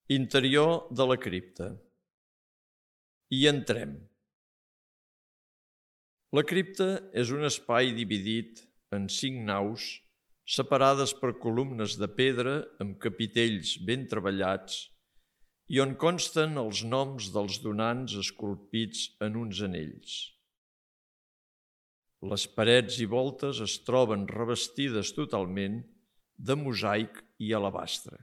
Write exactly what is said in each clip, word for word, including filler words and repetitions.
Interior de la cripta. Hi entrem. La cripta és un espai dividit en cinc naus, separades per columnes de pedra amb capitells ben treballats i on consten els noms dels donants esculpits en uns anells. Les parets i voltes es troben revestides totalment de mosaic i alabastre.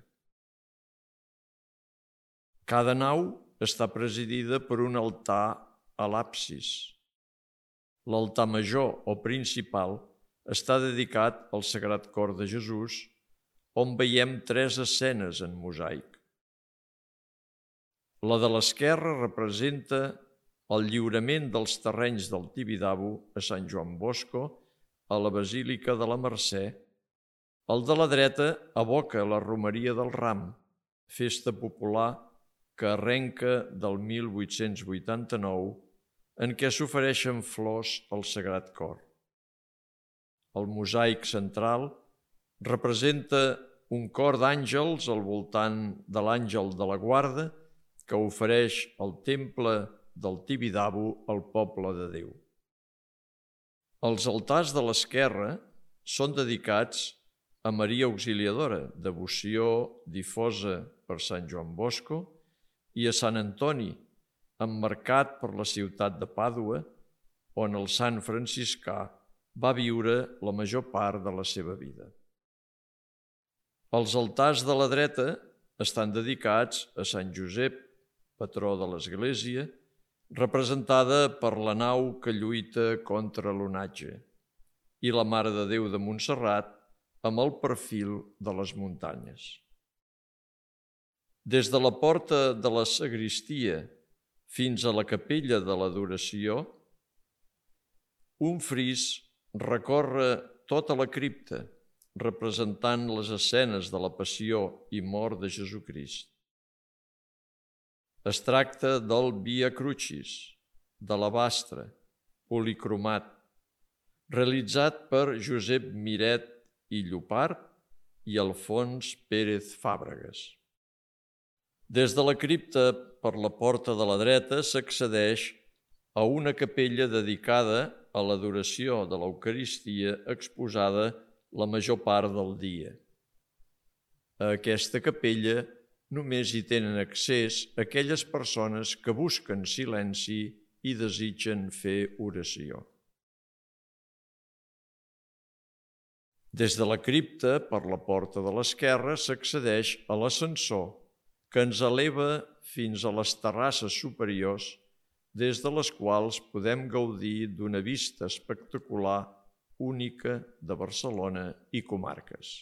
Cada nau està presidida per un altar a l'absis. L'altar major o principal està dedicat al Sagrat Cor de Jesús, on veiem tres escenes en mosaic. La de l'esquerra representa el lliurament dels terrenys del Tibidabo a Sant Joan Bosco, a la Basílica de la Mercè. El de la dreta evoca la Romeria del Ram, festa popular que arrenca del mil vuit-cents vuitanta-nou, en què s'ofereixen flors al Sagrat Cor. El mosaic central representa un cor d'àngels al voltant de l'àngel de la guarda que ofereix el temple del Tibidabo al poble de Déu. Els altars de l'esquerra són dedicats a Maria Auxiliadora, devoció difosa per Sant Joan Bosco, i a Sant Antoni, emmarcat per la ciutat de Pàdua, on el sant franciscà va viure la major part de la seva vida. Els altars de la dreta estan dedicats a Sant Josep, patró de l'Església, representada per la nau que lluita contra l'onatge, i la Mare de Déu de Montserrat amb el perfil de les muntanyes. Des de la porta de la sagristia fins a la capella de l'adoració, un fris recorre tota la cripta, representant les escenes de la passió i mort de Jesucrist. Es tracta del Via Crucis, d'alabastre, policromat, realitzat per Josep Miret i Llopart i Alfons Pérez Fàbregas. Des de la cripta, per la porta de la dreta, s'accedeix a una capella dedicada a l'adoració de l'Eucaristia exposada la major part del dia. A aquesta capella només hi tenen accés aquelles persones que busquen silenci i desitgen fer oració. Des de la cripta, per la porta de l'esquerra, s'accedeix a l'ascensor, que ens eleva fins a les terrasses superiors, des de les quals podem gaudir d'una vista espectacular única de Barcelona i comarques.